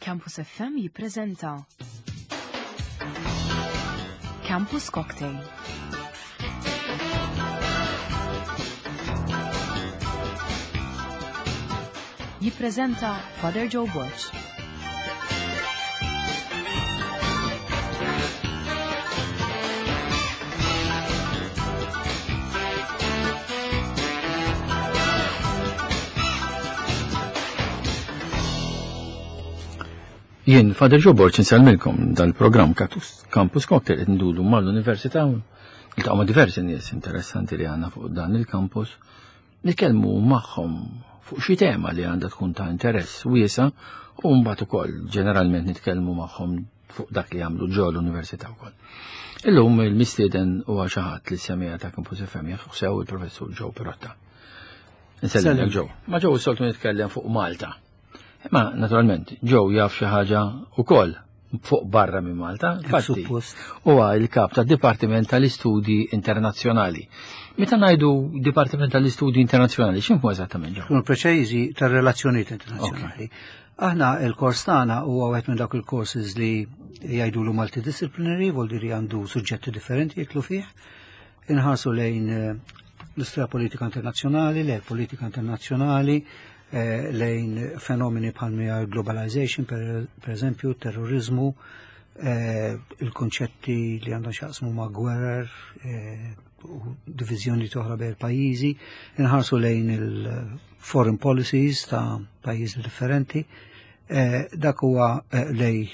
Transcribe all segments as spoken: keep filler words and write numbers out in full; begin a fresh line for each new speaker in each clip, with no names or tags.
Campus F M jippreżenta Campus Cocktail. Jippreżenta Father Joe Borg.
Jien, Father Joe Borg, insellmilkom dal-programm Campus Cocktail qed nduru mal-Università, niltaqgħu ma' diversi nies interessanti li għandna fuq dan il-campus, nitkellmu magħhom fuq xi tema li għandha tkun ta' interess wiesa' u mbagħad ukoll ġeneralment nitkellmu magħhom fuq dak li jagħmlu ġo l-università wkoll. Illum il-mistieden huwa xi ħadd li semija ta' Campus F M jafu sew, il-Professur Joe Pirotta. Insellem Joe. Ma' Joe soltu nitkellem fuq Malta. Ma naturalment, Joe jaf xi ħaġa wkoll fuq barra minn Malta. Infatti, huwa il-kap tad-Dipartiment tal-Istudji Internazzjonali. Meta ngħidu Dipartiment tal-Istudji Internazzjonali, x'inhu eżattament, Joe?
Kun preċiżi, tar-relazzjonijiet internazzjonali. Aħna il-kors tagħna huwa wieħed minn dawk il-courses li jgħidulu multidisciplinary, vuol dire għandu suġġetti differenti jidħlu fih. Inħarsu lejn eh, l-istorja politika internazzjonali, lejn politika internazzjonali, eh, lejn fenomeni bħal globalization, per, per eżempju, terrorizmu, eh, il-konċetti li għandhom x'jaqsmu ma' gwerer, eh, u divizjoni oħra bejn pajjiżi, inħarsu lejn il-foreign policies ta' pajjiżi differenti, eh, dak huwa eh, lejn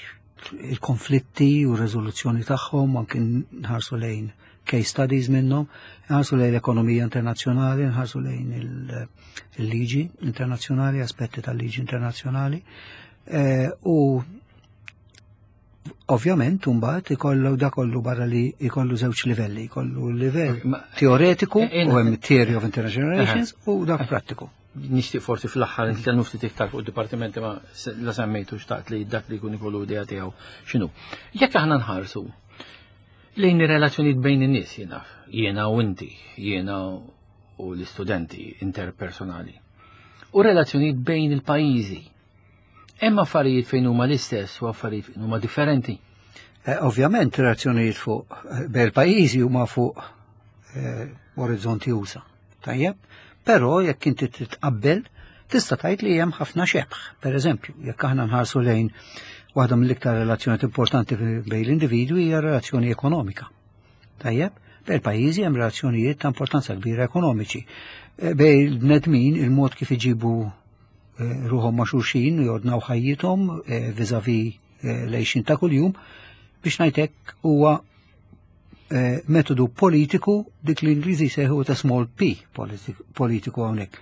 il-konflitti u r-riżoluzzjoni tagħhom, anke nħarsu lejn case studies minnhom, nħarsu lejn l-ekonomija internazzjonali, nħarsu lejn il-liġi internazzjonali, aspetti tal-liġi internazzjonali. Eh, u ovvjament mbagħad ikollu da kollu barra li ikollu żewġ livelli, ikollu livell teoretiku u hemm theory of international relations u dak prattiku.
Nixtieq forsi fl-aħħar nitkellmu ftit iktar fuq id-dipartimenti, ma la semmejtu xtaqt li dak li jkun ikollu idea tiegħu x'inhu. Jekk aħna nħarsu lejn ir-relazzjonijiet bejn in-nies, jiena, jiena u inti, jiena u l-istudenti interpersonali, u relazzjonijiet bejn il-pajjiżi, hemm affarijiet fejn huma l-istess u affarijiet fejn huma differenti.
Eh, ovvjament relazzjonijiet fuq eh, bejn il-pajjiżi huma fuq eh, orizzonti usa. Tajjeb, però jekk inti titqabbel tista' tgħid li hemm ħafna xebh. Per eżempju, jekk aħna nħarsu lejn waħda mill-iktar relazzjonijiet importanti bejn l-individwi hija relazzjoni ekonomika. Tajjeb, bejn il-pajjiżi hemm relazzjonijiet ta' importanza kbira ekonomiċi. Eh, bejn il-bnedmin, il-mod kif iġibu eh, ruħhom ma' xulxin u jordnaw ħajjithom eh, vis-à-vis l-għixien ta' kuljum, biex ngħidlek huwa metodu politiku, dik li l-Ingliżi jsejħu ta' small p politiku hawnhekk.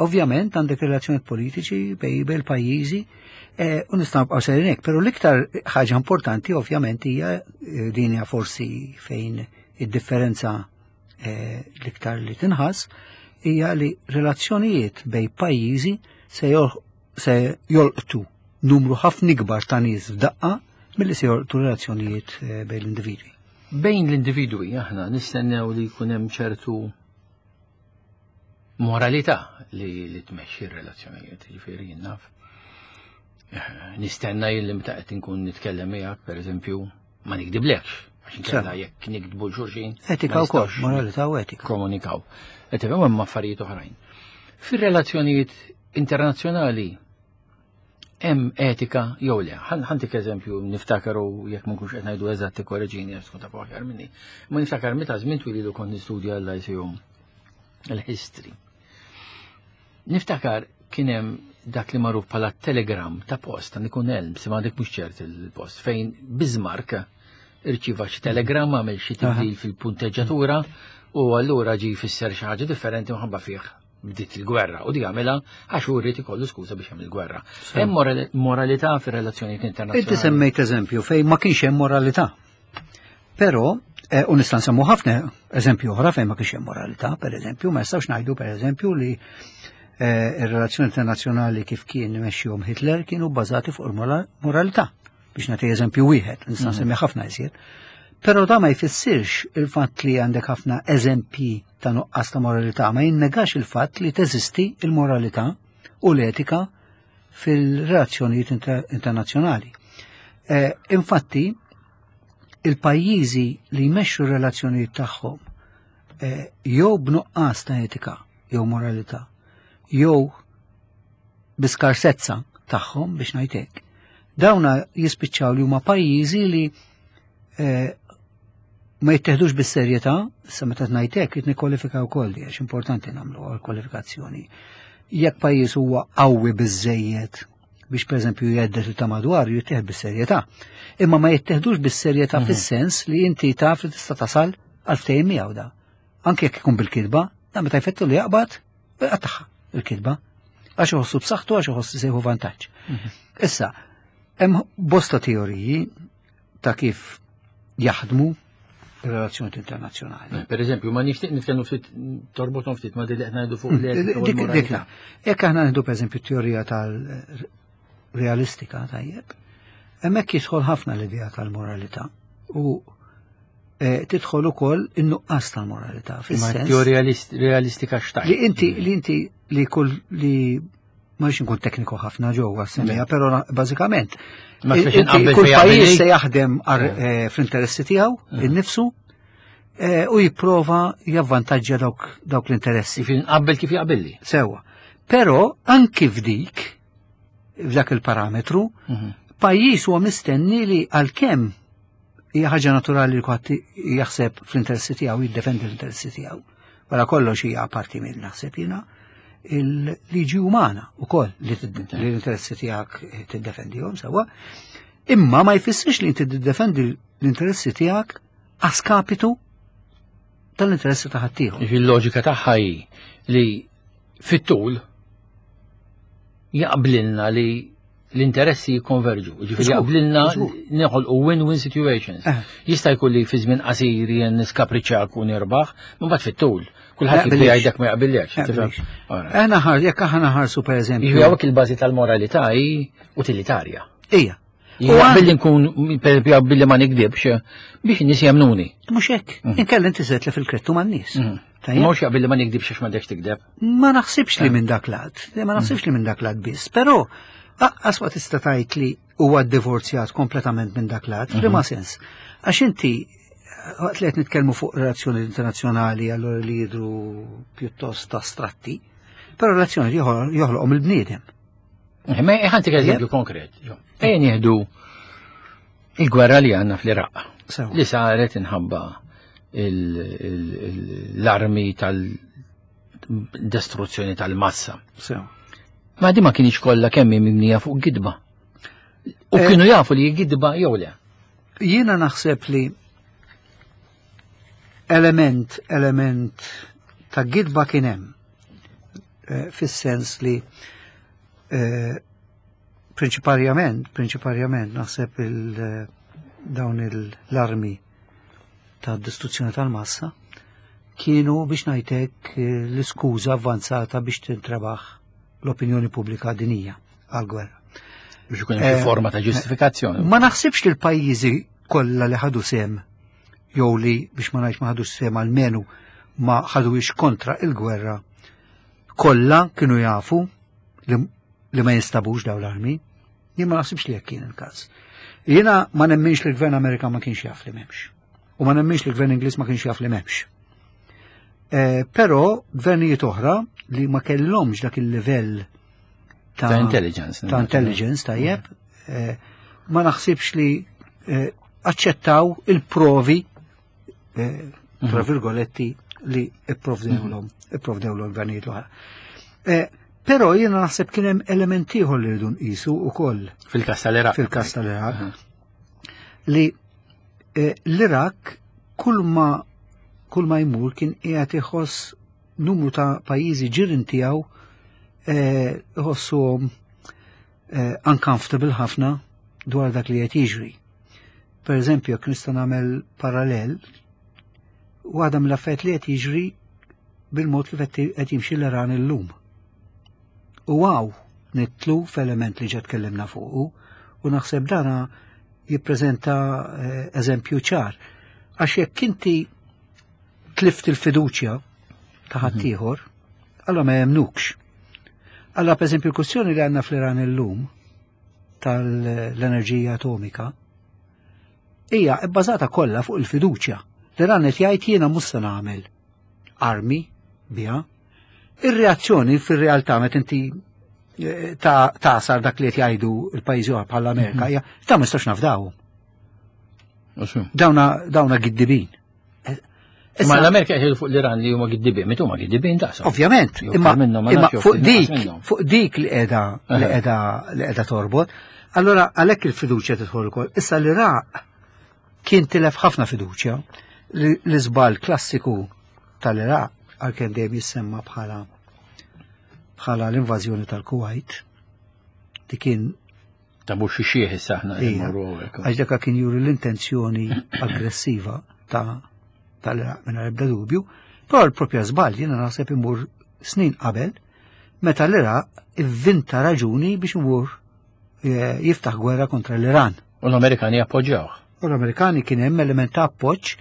Ovvjament għandek relazzjonijiet politiċi bejn bejn pajjiżi u nistgħu nibqgħu sejrin hekk, però l-iktar ħaġa importanti ovvjament hija din, hija forsi fejn id-differenza l-iktar li tinħass, hija li relazzjonijiet bejn pajjiżi se se jolqtu numru ħafna ikbar ta' nies f'daqqa milli se jolqtu relazzjonijiet bejn l-individwi.
Bejn l-individwi aħna nistennew li jkun hemm ċertu moralità li, li tmexxi r-relazzjonijiet, jiġifieri naf. Nistenna jien li meta qed inkun nitkellem miegħek, pereżempju, ma nikdiblekx, għax inkella jekk nikdbu xulxin.
Etika wkoll, moralità u etika.
Komunikaw. Qed tifhem, hemm affarijiet oħrajn. Fir-relazzjonijiet internazzjonali hemm etika jew le? Ħa ntik eżempju, niftakaru, jekk ma nkunx qed ngħidu eżatt korreġini għax tkun taf aħjar minni. Ma niftakar meta żmien twil ilu kont nistudja l-Lyceum il-history. Niftakar kien hemm dak li magħruf bħala telegram ta' post, ta' ikun Elms, ma dik mhux ċert il-post, fejn Bismarck irċiva xi telegram, għamel xi tibdil fil-punteġġatura u allura ġi jfisser xi ħaġa differenti, minħabba fih bdiet il-gwerra u di għamilha għax hu rrid ikollu skuża biex jagħmel il-gwerra. Hemm moralità fir-relazzjonijiet internazzjonali?
Inti semmejt eżempju fejn ma kienx hemm moralità. Però eh, u nista' nsemmu ħafna eżempju oħra fejn ma kienx hemm moralità, per eżempju, ma nistgħux ngħidu, per eżempju, li eh, ir-relazzjoni internazzjonali kif kien imexxihom Hitler kienu bbażati fuq il-moralità. Biex nagħti eżempju wieħed, nista' mhm. nsemmi ħafna iżjed. Però da ma jfissirx, il-fatt li għandek ħafna eżempji ta' nuqqas ta' moralità ma jinnegax il-fatt li teżisti il-moralità u l-etika fil-relazzjonijiet internazzjonali. Eh, infatti, il-pajjiżi li jmexxu r-relazzjonijiet tagħhom eh, jew b'nuqqas ta' etika jew moralità, jew biskarsezza tagħhom biex ngħid hekk, dawna jispiċċaw li huma pajjiżi li eh, ma jitteħdux bis-serjetà, issa meta ngħid hekk qed nikkwalifika wkoll li għax importanti nagħmlu għall-kwalifikazzjoni. Jekk pajjiż huwa qawwi biżejjed biex pereżempju jgħeddet ta' madwar jittieħed bis-serjetà. Imma ma jitteħdux bis-serjetà mhm. fis-sens li inti taf li tista' tasal għal ftehim miegħu da. Anke jekk ikun bil-kitba, da meta jfettu li jaqbad, jqattagħha il-kitba. Għax iħossu b'saħħtu għax iħossu sejħu vantaġġ. Mhm. Issa, hemm bosta teoriji ta' kif jaħdmu relazzjoni internazzjonali.
Eh, per eżempju, ma nixtieq nitkellmu ftit torbothom ftit ma dik li qed ngħidu fuq
l Dik dik Jekk aħna nieħdu pereżempju teorija tal-realistika tajjeb, hemmhekk jidħol ħafna l-idea tal-moralità u eh, tidħol ukoll in-nuqqas tal-moralità.
Teorija realistika x'tajt.
Li inti li inti li kull li ma rridx nkun tekniku ħafna ġewwa semmija, però bażikament kull pajjiż se jaħdem eh, fl-interessi tiegħu innifsu Eh, u jipprova javvantaġġja dawk, dawk l-interessi.
Qabel kif jaqbilli.
Sewa. Però anki f'dik, f'dak il-parametru, mhm. pajjiż huwa mistenni li għalkemm hija ħaġa naturali li kulħadd jaħseb fl-interessi tiegħu, jiddefendi l-interessi tiegħu. Wara kollox hija parti minn naħseb jiena il-liġi umana ukoll li l-interessi tiegħek tiddefendihom sewwa. Imma ma jfissirx li inti tiddefendi l-interessi tiegħek a skapitu tal-interessi ta' ħaddieħor.
Il-loġika tagħha hi li fit-tul jaqblilna li l-interessi jikkonverġu. Ġifieri jaqblilna neħolqu win-win situations. Eh. Jista' jkun li fi żmien qasir jien niskapriċċak u nirbaħ, ma mbagħad fit-tul. Kulħadd jibda jgħidek ma jaqbillekx.
Aħna ħar, jekk aħna ħarsu pereżempju.
Jiġifieri hawnhekk il-bażi tal-moralità hi utilitarja.
Ija.
U billi nkun, per esempio, billi ma nikdibx, biex in-nies jemnuni.
Mhux hekk, mm. inkella inti se fil-krettu man-nies.
Mm. Mhux billi ma nikdibx għax m'għandekx tikdeb.
Ma naħsibx li eh. minn dak lat, ma naħsibx li minn dak lat biss, però aqqas ma tista' tgħid li huwa divorzjat kompletament minn dak lat, f'liema mhm. sens. Għax inti waqt li qed nitkellmu fuq relazzjoni internazzjonali allura li jidru pjuttost astratti, però relazzjoni joħloqhom il-bniedem.
Eh, ma ħantik eżempju konkret. Ejja nieħdu il-gwerra li għandna fl-Iraq. Li saret inħabba l-armi tal-distruzzjoni tal-massa. Ma di ma kienx kollha kemm mibnija fuq gidba. U eh, kienu jafu li gidba jew le.
Jiena naħseb li element, element ta' gidba kien hemm. Eh, fis-sens li Eh, prinċiparjament, prinċiparjament naħseb il eh, dawn l-armi ta' distruzzjoni tal-massa kienu biex ngħidlek eh, l-iskuża avvanzata biex tintrebaħ l-opinjoni pubblika dinija għal-gwerra.
Biex ikun hemm forma ta' ġustifikazzjoni.
Ma naħsibx li l-pajjiżi kollha li ħadu sem jew li biex ma ngħidx ma ħadux sem almenu ma ħaduhiex kontra il-gwerra kollha kienu jafu li li ma jinstabux daw l-armi. Jien ma naħsibx li jekk kien il-każ. Jiena ma nemminx li l-gvern Amerikan ma kienx jaf li m'hemmx. U ma nemminx li l-gvern Ingliż ma kienx jaf li m'hemmx. Eh, però gvernijiet oħra li ma kellhomx dak il-livell
ta', ta intelligence.
Ta' intelligence tajjeb, eh, ma naħsibx li eh, aċċettaw il-provi mhm. tra virgoletti li ipprovdewlhom, mhm. ipprovdewlhom gvernijiet l-oħra. Però jiena naħseb kien hemm element ieħor li rridu nqisu wkoll.
Fil-każ tal-Iraq.
Fil-każ tal-Iraq. Li eh, l-Iraq kull ma kull ma jmur kien qiegħed iħoss numru ta' pajjiżi ġirien tiegħu eh, iħossuhom eh, uncomfortable ħafna dwar dak li qed jiġri. Per eżempju, jekk nista' nagħmel parallel, waħda mill-affarijiet li qed jiġri bil-mod kif qed jimxi l-Iran illum. U għaw nitlu f'element li ġa tkellimna fuqu u naħseb dana jippreżenta eh, eżempju ċar. Għax jekk inti tlift il-fiduċja ta' ħaddieħor, allora ma jemnukx. Allora, per esempio, il-kwestjoni li għandna fl-Iran illum tal-enerġija atomika hija bbażata kollha fuq il-fiduċja. L-Iran qed jgħid jiena mhux se nagħmel armi biha. Ir-reazzjoni fir-realtà meta inti eh, ta' tasar dak li qed jgħidu l-pajjiżi oħra bħall-Amerika hija ta' ma nistax nafdawhom. Dawna dawna giddibin.
Ma l-Amerika qed fuq l-Iran li huma giddibin, meta huma giddibin daqshom.
Ovvjament,
Jew
imma,
iktar minnhom, ma
imma
nafx jew
fuq
ftit
dik,
inqas minnhom.
fuq dik li qiegħda li
Aha.
qiegħda li qiegħda torbot, allora għalhekk il-fiduċja tidħol ukoll. Issa l-Iraq kien tilef ħafna fiduċja. Li- L-iżbal klassiku tal-Iraq għalkemm dejjem jissemma bħala bħala l-invażjoni tal-Kuwait di kien
Ta' mhux xi xieħ issa aħna qed
Ija.
immorru hawnhekk.
Għax daka kien juri l-intenzjoni aggressiva ta' tal-Iraq minn ebda dubju, però l-propja żball jiena naħseb imur snin qabel meta l-Iraq ivvinta raġuni biex imur eh, jiftaħ gwerra kontra l-Iran.
U l-Amerikani appoġġjawh.
U l-Amerikani kien hemm element ta' appoġġ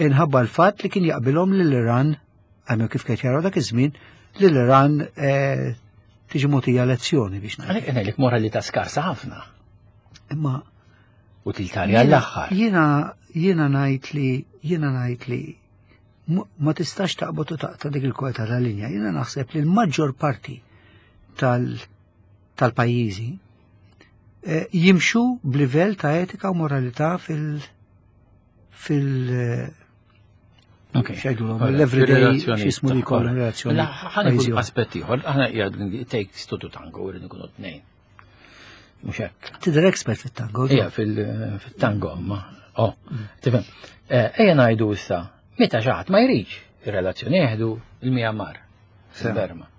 inħabba l-fatt li kien jaqbilhom lill-Iran, għamlu kif kien jaraw dak iż-żmien, li l-Iran eh, tiġi mogħtija lezzjoni biex ngħid.
Għalhekk ngħidlek moralità skarsa ħafna.
Imma
Utilitarja l-aħħar.
Jiena jiena ngħid li jiena ngħid li mu- ma tistax taqbad u taqta' dik il-kweta tal-linja. Jiena naħseb li l-maġġor parti tal tal-pajjiżi eh, jimxu b'livell ta' etika u moralità fil fil eh,
Ok.
x'jgħidulhom,
Ora,
l-everyday
fir-relazzjoni
x'jismu li
tagħha.
jkollhom relazzjoni.
Mela, ħa nieħu
pajjiżi oħra.
aspett ieħor, aħna qiegħed takes two to tango, irrid nkunu tnejn. Mhux hekk.
Tidher expert fit-tango.
Ija fil-tango, ma. Oh, tifhem. Eh, Ejja ngħidu issa, meta xi ħadd ma jridx ir-relazzjoni jeħdu il-Myanmar, il-Burma.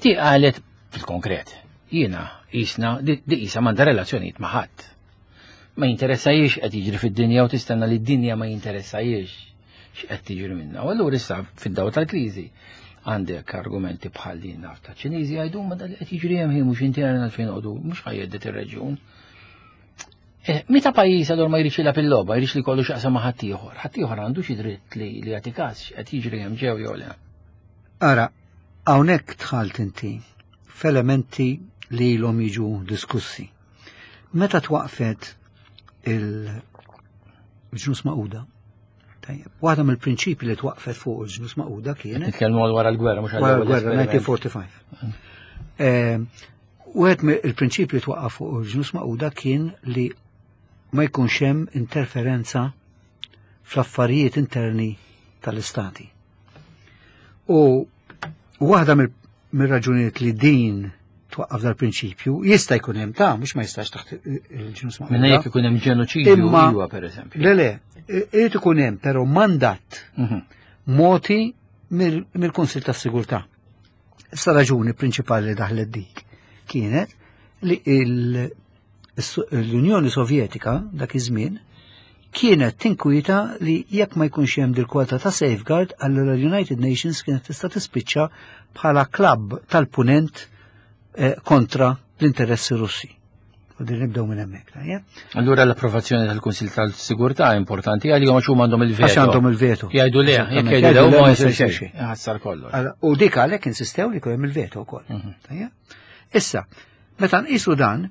Di qalet fil-konkret, jiena jisna, di di qisha m'għandha relazzjonijiet ma' ħadd. Ma jinteressajiex qed jiġri fid-dinja u tistenna li d-dinja ma jinteressajiex x'qed tiġri minna. U allura issa fid-dawl tal-kriżi għandek argumenti bħal li naf ta' Ċiniżi jgħidu ma dal qed jiġri hemm hi mhux intern għalfejn noqogħdu mhux ħa jhedded ir-reġjun. Eh, Meta pajjiż allura ma jridx jilgħab il-logħba, jridx li kollu x'jaqsam ma' ħaddieħor. Ħaddieħor għandu xi dritt li li jagħti każ x'qed jiġri hemm ġew jew le.
Ara, hawnhekk dħalt inti f'elementi li ilhom jiġu diskussi. Meta twaqfet il-Ġnus Magħquda, tajjeb, waħda mill-prinċipi li twaqfet fuq il-Ġnus Magħquda kienet
Nitkellmu għal wara l-gwerra mhux għal
wara
ewwel
l-gwerra
esperiment.
elf disa' mija u erbgħa u erbgħin. Eh, Wieħed mill-prinċipji li twaqqaf fuq il-Ġnus Magħquda kien li ma jkunx hemm interferenza fl-affarijiet interni tal-istati. U waħda mill- mir-raġunijiet li din twaqqaf dal-prinċipju jista' jkun hemm ta' mhux ma jistax taħt il-Ġnus
Minna
Magħquda.
jekk ikun hemm ġenoċidju
Imma-
iwa pereżempju.
Le le, irid ikun hemm però mandat
Mhm.
mogħti mill- mill-Kunsil tas-Sigurtà. Issa raġuni prinċipali li daħlet dik kienet li il- l-Unjoni Sovjetika dak iż-żmien kienet tinkwita li jekk ma jkunx hemm dil-kwota ta' safeguard, allura l-United Nations kienet tista' tispiċċa bħala klabb tal-punent eh, kontra l-interessi Russi. U din nibdew minn hemmhekk, tajjeb?
Allura l-approvazzjoni tal-Kunsil tal-Sigurtà importanti għalihom għax huma għandhom il-veto.
Għax għandhom il-veto.
Jgħidu le, jekk
Eżattament.
jgħidu le, ma
ma
jsir
jsir
xejn.
xejn.
Ħassar kollox.
Allora, u dik għalhekk insistew li jkun hemm il-veto wkoll.
Mhm.
Tajjeb? Issa, meta nqisu dan,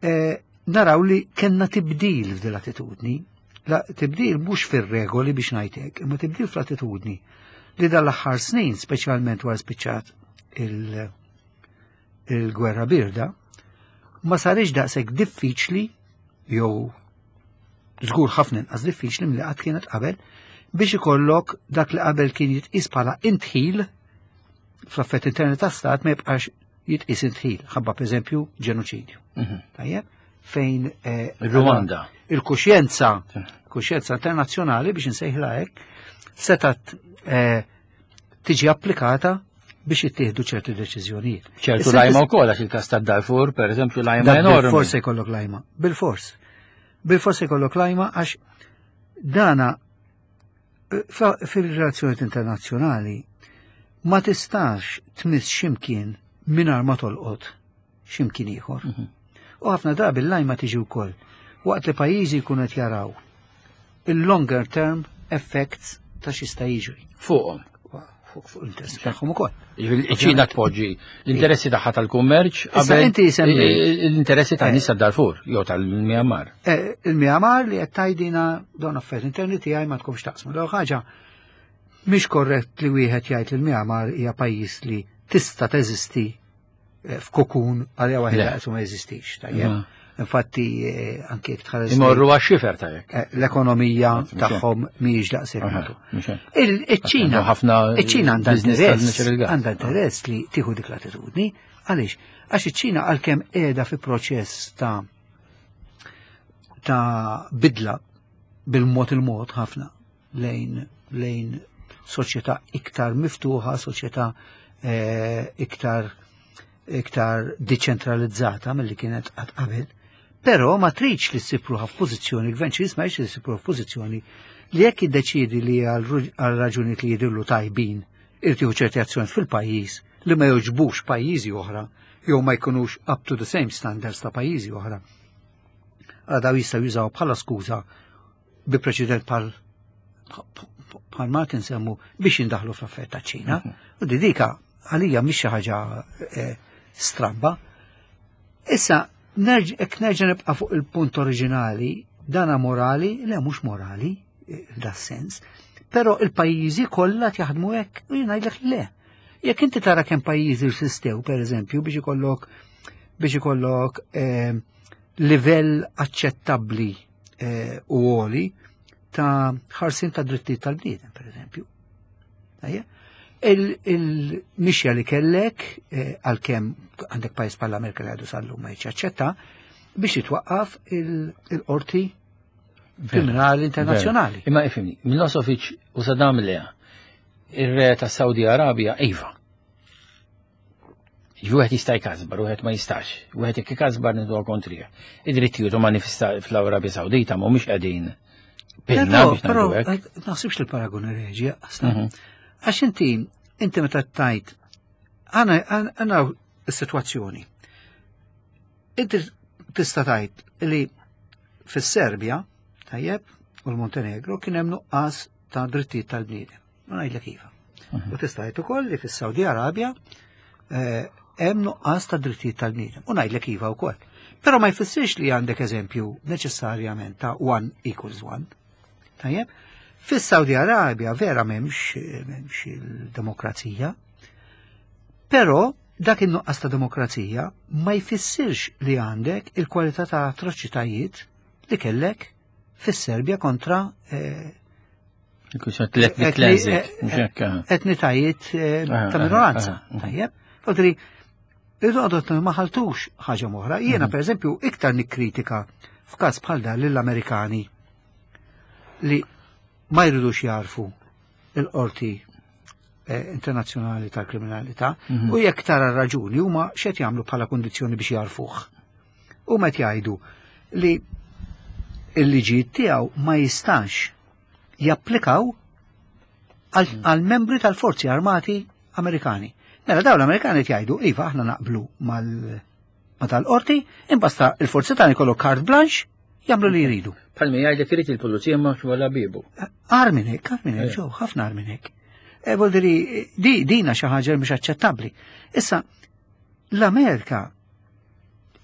eh, naraw li kellna tibdil f'din l-attitudni. La, tibdil mhux fir-regoli biex ngħidlek, imma tibdil fl-attitudni li dal-aħħar snin, speċjalment wara spiċċat il- il-gwerra birda, ma sarix daqshekk diffiċli jew żgur ħafna inqas diffiċli milli qatt kienet qabel biex ikollok dak li qabel kien jitqis bħala indħil fl-affett interni ta' stat ma jibqax jitqis indħil, ħabba pereżempju ġenoċidju.
Mhm.
Tajjeb? Fejn eh,
Il-Rwanda.
il-kuxjenza, kuxjenza internazzjonali biex insejħla hekk, setat eh, tiġi applikata biex jittieħdu ċerti deċiżjonijiet.
ċertu
Issa
lajma wkoll għax il-każ tad-Darfur, pereżempju, lajma
Dak
enormi.
Bil-fors jkollok lajma. Bil-fors. Bil-fors jkollok lajma għax dana eh, fa- fil-relazzjonijiet internazzjonali ma tistax tmiss ximkien mingħajr ma tolqot ximkien ieħor.
Mhm.
U ħafna drabi l-lajma tiġi wkoll waqt li pajjiżi jkunu qed jaraw il-longer term effects ta' x'jista' jiġri
Fuqhom.
fuq l-interessi tagħhom ukoll.
Iċ-Ċina tpoġġi l-interessi tagħha tal-kummerċ qabel l-interessi tan-nies tad-Darfur jew tal-Myanmar.
Il-Myanmar li qed tgħidina dawn affarijiet interni tiegħi ma tkunx taqsmu. L ħaġa mhix korrett li wieħed jgħid li l-Myanmar hija pajjiż li tista' teżisti f'kokun għalija waħedha qed ma jeżistix, tajjeb. Infatti anke jekk tħares.
Imorru għax-xifer tajjeb.
L-ekonomija tagħhom mhijiex daqshekk. Iċ-Ċina iċ-Ċina għandha interess għandha interess li tieħu dik l-attitudni. Għaliex? Għax iċ-Ċina għalkemm qiegħda fi proċess ta' ta' bidla bil-mod il-mod ħafna lejn lejn soċjetà iktar miftuħa, soċjetà iktar iktar deċentralizzata milli kienet qatt qabel. Però ma tridx li ssib ruħha f'pożizzjoni, il-gvern Ċiniż ma jridx li ssib ruħha f'pożizzjoni li jekk jiddeċiedi li għal raġunijiet li jidhirlu tajbin irid jieħu ċerti azzjoni fil-pajjiż li ma jogħġbux pajjiżi oħra jew ma jkunux up to the same standards ta' pajjiżi oħra. Għal daw jistgħu jużaw bħala skuża bi preċedent bħal bħal ma tinsemmu biex jindaħlu fl-affarijiet taċ-Ċina. U di dika għalija mhix xi ħaġa stramba. Issa, jekk nerġa' nibqa' fuq il-punt oriġinali, dana morali, le mhux morali, da sens, però il-pajjiżi kollha jaħdmu hekk u jien ngħidlek le. Jekk inti tara kemm pajjiżi rsistew, pereżempju, biex ikollok biex ikollok eh, livell aċċettabbli eh, u għoli ta' ħarsin ta' drittijiet tal-bniedem, pereżempju. Il-mixja li kellek, għalkemm għandek pajjiż bħal Amerika li għadu sal-lum ma jaċċetta, biex jitwaqqaf il-qorti kriminali internazzjonali.
Imma ifhimni, Milosevic u Saddam le, ir-re ta' Saudi Arabia, iva. Wieħed jista' jkasbar, wieħed ma jistax. Wieħed jekk ikasbar nidu kontrih. Id-drittijiet umani fl-Arabja Sawdita mhumiex qegħdin pinna biex
ngħidu hekk. Naħsibx li l-paragun reġi asla. Għax inti, inti meta tajt, għana s-situazzjoni. Inti tista' tajt li fis-Serbja, tajjeb, u l-Montenegro kien hemm nuqqas ta' drittijiet tal-bniedem. Ma ngħidlek iva. U tista' tgħid ukoll li fis-Saudi Arabja hemm nuqqas ta' drittijiet tal-bniedem. U ngħidlek iva wkoll. Però ma jfissirx li għandek eżempju neċessarjament ta' one equals one. Tajjeb? Fis-Saudi Arabja vera m'hemmx m'hemmx il-demokrazija, però dak in-nuqqas ta' demokrazija ma jfissirx li għandek il-kwalità ta' atroċitajiet li kellek fis-Serbja kontra etnitajiet ta' minoranza. Tajjeb? Fodri, irridu ma ħaltux ħaġa oħra. Jiena pereżempju iktar nikkritika f'każ bħal dan lill-Amerikani li ma jridux jarfu il-qorti internazzjonali tal-kriminalità u jekk tara raġuni huma x'qed jagħmlu bħala kundizzjoni biex jarfuh. Huma qed jgħidu li l-liġijiet tiegħu ma jistax japplikaw għal membri tal-forzi armati Amerikani. Mela dawn l-Amerikani qed jgħidu iva aħna naqblu mal ma tal-qorti, imbasta il-forzi tagħna jkollu carte blanche jagħmlu li jridu.
Palmi jgħidlek irid il-pulizija ma wara bibu.
Agħar minn hekk, agħar minn hekk, ġew, ħafna agħar minn hekk. E vuol dire di dina xi ħaġa mhix aċċettabbli. Issa l-Amerika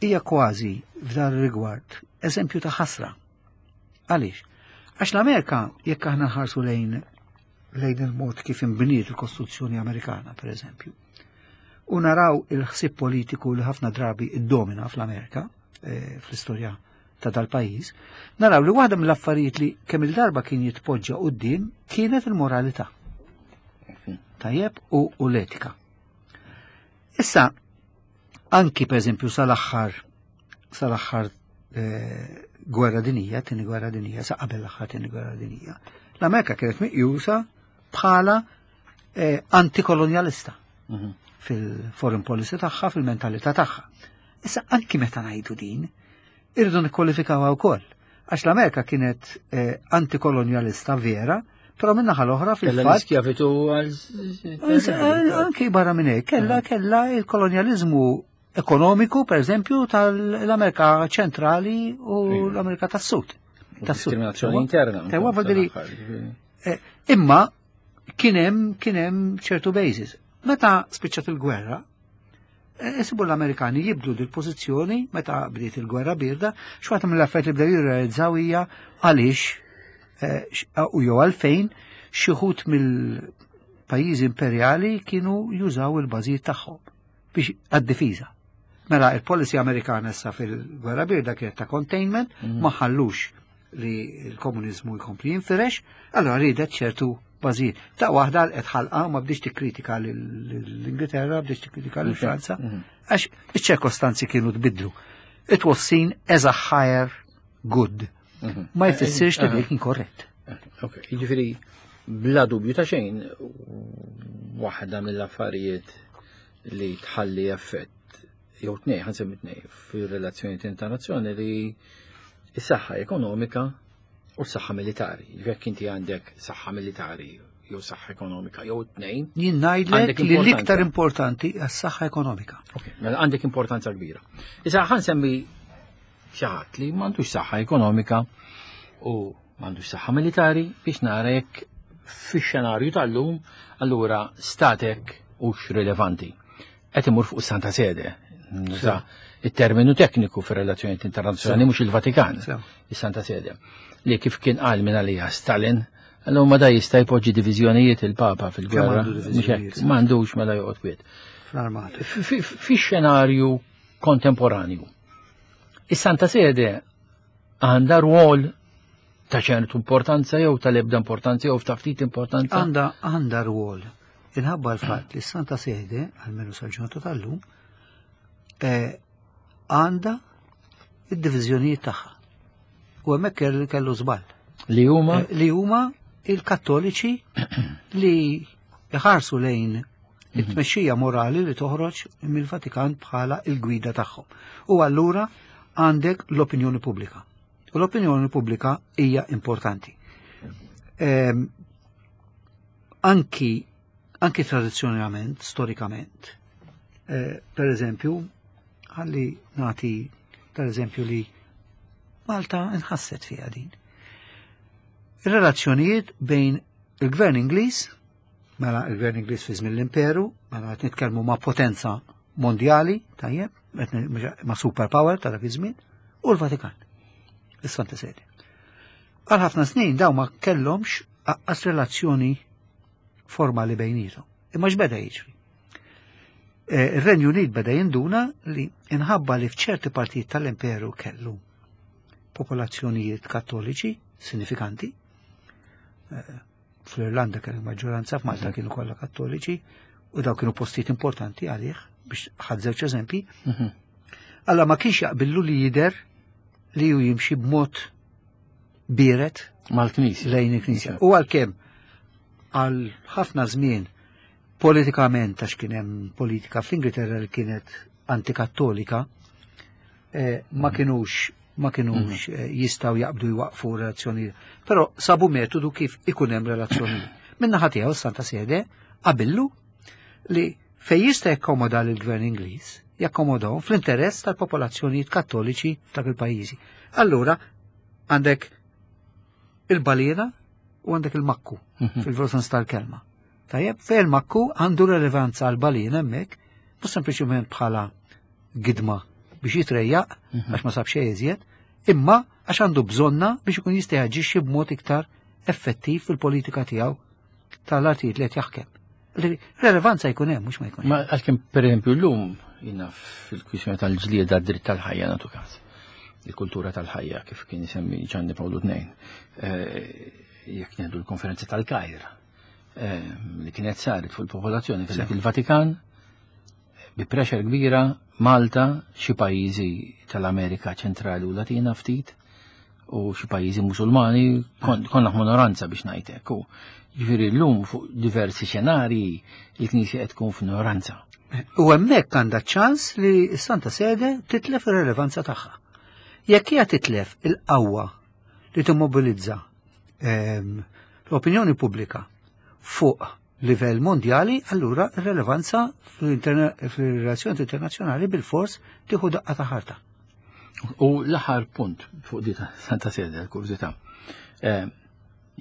hija kważi f'dan ir-rigward eżempju ta' ħasra. Għaliex? Għax l-Amerika jekk aħna nħarsu lejn lejn il-mod kif inbniet il-Kostituzzjoni Amerikana, per eżempju, u naraw il-ħsieb politiku li ħafna drabi iddomina fl-Amerika, fl-istorja ta' dal-pajjiż, naraw li waħda mill-affarijiet li kemm il-darba kien jitpoġġa quddiem kienet il-moralità. Tajjeb u, u l-etika. Issa, anki per eżempju sal-aħħar sal-aħħar eh, gwerra dinija, tieni gwerra dinija, sa qabel l-aħħar tieni gwerra dinija, l-Amerika kienet meqjusa bħala eh, antikolonjalista mm-hmm. fil-foreign policy tagħha, fil-mentalità tagħha. Issa anki meta ngħidu din, irridu nikkwalifikawha wkoll. Għax l-Amerika kienet eh, antikolonjalista vera, però min-naħa l-oħra fil-fatt.
Kella għal.
Anki barra minn hekk, kella kella il-kolonjaliżmu ekonomiku, per eżempju, tal-Amerika ċentrali u l-Amerika tas-Sud.
Diskriminazzjoni interna.
Tewa vuol dire, imma Kien hemm kien hemm ċertu basis. Meta spiċċat il-gwerra, Isibu l-Amerikani jibdlu dil-pożizzjoni meta bdiet il-gwerra birda, xi waħda mill-affarijiet li bdew jirrealizzaw hija għaliex eh, x- u jew għalfejn xi wħud mill-pajjiżi imperjali kienu jużaw il-bażijiet tagħhom biex għad-difiża. Mela il-policy Amerikana issa fil-gwerra birda kienet ta' containment, ma ħallux li l-komunizmu jkompli jinfirex, allora ridet ċertu bażijiet. Ta' waħda qed ħalqa ma bdiex tikkritika l-Ingilterra, bdiex tikkritika lil Franza, għax iċ-ċirkostanzi kienu tbidlu. It was seen as a higher good. Ma jfissirx li dik kien korrett.
Ok, jiġifieri bla dubju ta' xejn, waħda mill-affarijiet li tħalli effett jew tnej, ħa nsemmi tnej, fir-relazzjonijiet internazzjonali li is-saħħa ekonomika u s-saħħa militari. Jekk inti għandek saħħa militari jew saħħa ekonomika jew tnejn,
Jien ngħidlek
Għandek
li
importanza.
l-iktar importanti għas-saħħa ekonomika.
Ok, mela għandek importanza kbira. Issa ħa nsemmi xi ħadd li m'għandux saħħa ekonomika u m'għandux saħħa militari biex nara jekk fix-xenarju tal-lum allura statek hux rilevanti. Qed imur fuq Santa Sede. Nuża it-terminu tekniku fir-relazzjonijiet internazzjonali mhux il-Vatikan,
Sew.
is-Santa Sede. Li kif kien qal minn għalija Stalin, allura ma da jista' jpoġġi diviżjonijiet il-Papa fil-gwerra.
Kemm għandu
Mhux hekk,
diviżjonijiet?
M'għandux mela joqgħod kwiet
Fl-armata.
fi xenarju kontemporanju. Is-Santa Sede għandha rwol ta' ċertu importanza jew tal-ebda importanza jew ta' ftit importanza.
Għanda għanda rwol. Inħabba l-fatt li s-Santa Sede, għalmenu sal-ġurnata tal-lum, eh, għanda id-diviżjonijiet tagħha. U hemmhekk kellu- kellu żball.
Li huma
Eh, Li huma il-Kattoliċi li jħarsu lejn it-tmexxija morali li toħroġ mill-Vatikan bħala il-gwida tagħhom. U allura għandek l-opinjoni pubblika. U l-opinjoni pubblika hija importanti. Ehm, anki anki tradizzjonalment, storikament, eh, per eżempju, ħalli nati per eżempju li Malta nħasset fiha din. Ir-relazzjonijiet bejn il-gvern Ingliż, mela il-gvern Ingliż fi żmien l-Imperu, mela qed nitkellmu ma' potenza mondjali, tajjeb, qed ni- ma' superpower ta' dak iż-żmien, u l-Vatikan, is-Santa Sede. Għal ħafna snin daw ma kellhomx aqqas relazzjoni formali bejnietom. Imma x'beda jiġri? Eh, Ir-Renju Unit beda jinduna li inħabba li f'ċerti partijiet tal-Imperu kellu popolazzjonijiet kattoliċi sinifikanti. Eh, Fl-Irlanda kellu maġġoranza, f'Malta kienu kollha kattoliċi u daw kienu postijiet importanti għalih biex ħadt żewġ eżempji.
Mhm.
Alla ma kienx jaqbillu li jider li ju jimxi b'mod biret
mal-Knisja.
lejn il-Knisja. U għalkemm għal ħafna żmien politikament għax kien hemm politika fl-Ingilterra li kienet antikattolika, eh, ma kienux ma kienux eh, jistgħu jaqbdu jwaqfu relazzjoni. Però sabu metodu kif ikun hemm relazzjoni. Minna tiegħu Santa Sede qabillu li fej jista' jakkomoda lill-gvern Ingliż, jakkomodahom fl-interess tal-popolazzjonijiet kattoliċi f'dak il-pajjiżi. Allura għandek il-balena u għandek il-makku
Mhm.
fil-veru sens tal-kelma. Tajjeb, fej il-makku għandu relevanza għal-balena hemmhekk, mhux sempliċement bħala gidma biex jitrejjaq għax ma sab xejn iżjed, imma għax għandu bżonna biex ikun jista' jaġixxi b'mod iktar effettiv fil-politika tiegħu tal-artijiet li qed jaħkem. Relevanza jkun hemm mhux ma jkun hemm.
Ma għalkemm per eżempju llum jina fil-kwistjoni tal-ġlieda dritt tal-ħajja natu każ. Il-kultura tal-ħajja kif kien isemmi Ġanni Pawlu tnejn. Eh, Jekk nieħdu l-konferenza tal-Kajr eh, li kienet saret fuq il-popolazzjoni kellek il-Vatikan bi pressure kbira Malta, xi pajjiżi tal-Amerika ċentrali u Latina ftit u xi pajjiżi musulmani kon, konna minoranza biex ngħidlek. U ġifieri llum fuq diversi xenarji il-Knisja qed tkun f'minoranza.
U hemmhekk għandha ċans li s-Santa Sede titlef ir-relevanza tagħha. Jekk hija titlef il-qawwa li timmobilizza ehm, l-opinjoni pubblika fuq livell mondjali, allura ir-relevanza fil-relazzjoni internazzjonali bil-fors tieħu daqqa ta' ħarta.
U l-aħħar punt fuq di ta' Santa Sede, l-kurżità. Eh,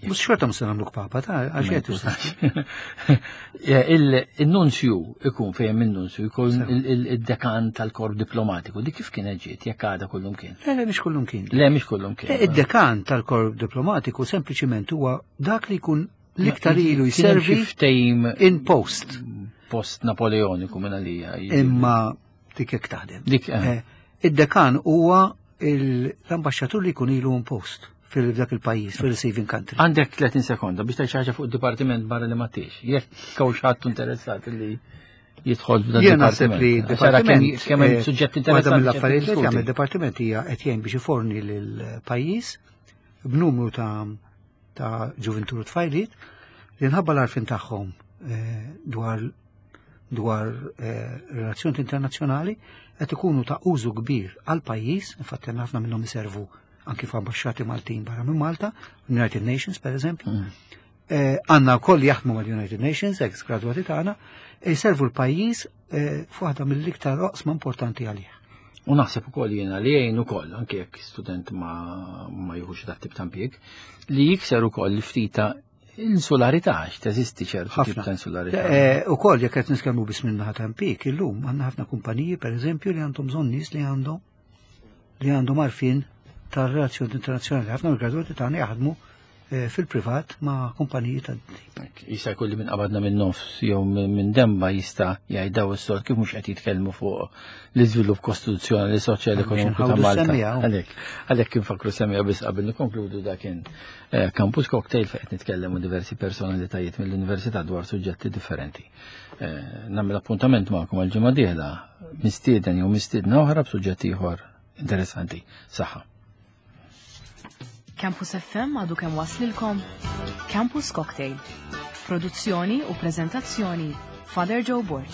Mhux xorta mhux se nagħmluk papa ta' għax qed
Il-nunzju ikun fejn il-nunzju jkun il-dekan tal-korp diplomatiku. Dik kif kienet ġiet jekk għadha kullum kien?
Le, le, mhix kullum kien.
Le, mhix kullum kien.
Id-dekan tal-korp diplomatiku sempliċiment huwa dak li jkun l-iktar ilu jservi in post.
Post Napoleoniku minn għalija.
Imma dik hekk taħdem.
Dik.
Id-dekan huwa l-ambaxxatur li jkun ilu in post fil-dak il-pajjiż, fil-receiving country.
Għandek tletin sekonda biex tgħid xi ħaġa fuq id-dipartiment barra li ma tix. Jekk hawn xi ħadd interessat li jidħol f'dan
Jien naħseb li
d-dipartiment kemm hemm suġġett interessanti.
Waħda mill-affarijiet li jagħmel id-dipartiment hija qed jgħin biex iforni lill-pajjiż b'numru ta' ta' ġuventur u tfajliet li nħabba l-għarfien tagħhom dwar dwar relazzjoni internazzjonali qed ikunu ta' użu kbir għal pajjiż, infatti ħafna minnhom iservu anki f'ambaxxati Maltin barra minn Malta, United Nations per eżempju. Għandna wkoll jaħdmu mal-United Nations, ex graduati tagħna, jservu l-pajjiż f'waħda mill-iktar oqsma importanti għalih.
U naħseb ukoll jiena li jgħin ukoll, anke jekk student ma ma jieħux dat tip ta' impjieg, li jikser ukoll ftita insularità, għax teżisti ċertu tip ta' insularità.
Ukoll jekk qed nitkellmu biss minn naħa ta' impjieg, illum għandna ħafna kumpaniji pereżempju li għandhom bżonn nies li għandhom li għandhom għarfien tar-relazzjoni internazzjonali. Ħafna mill-gradwati tagħna jaħdmu fil-privat ma' kumpaniji ta'
tip. Jista' jkun li minn qabadna minn nofs jew minn demba jista' jgħid daw is-sort kif mhux qed jitkellmu fuq l-iżvilupp kostituzzjonali, soċjali, ekonomiku ta' Malta. Għalhekk, għalhekk infakru semmija biss qabel nikkonkludu dak kien Campus Cocktail fejn qed nitkellmu diversi personalitajiet mill-università dwar suġġetti differenti. Nagħmel appuntament magħkom għall-ġimgħa dieħla mistieden jew mistiedna oħra b'suġġett ieħor interessanti. Saħħa.
Campus F M għadu kemm waslilkom Campus Cocktail. Produzzjoni u prezentazzjoni Father Joe Borg.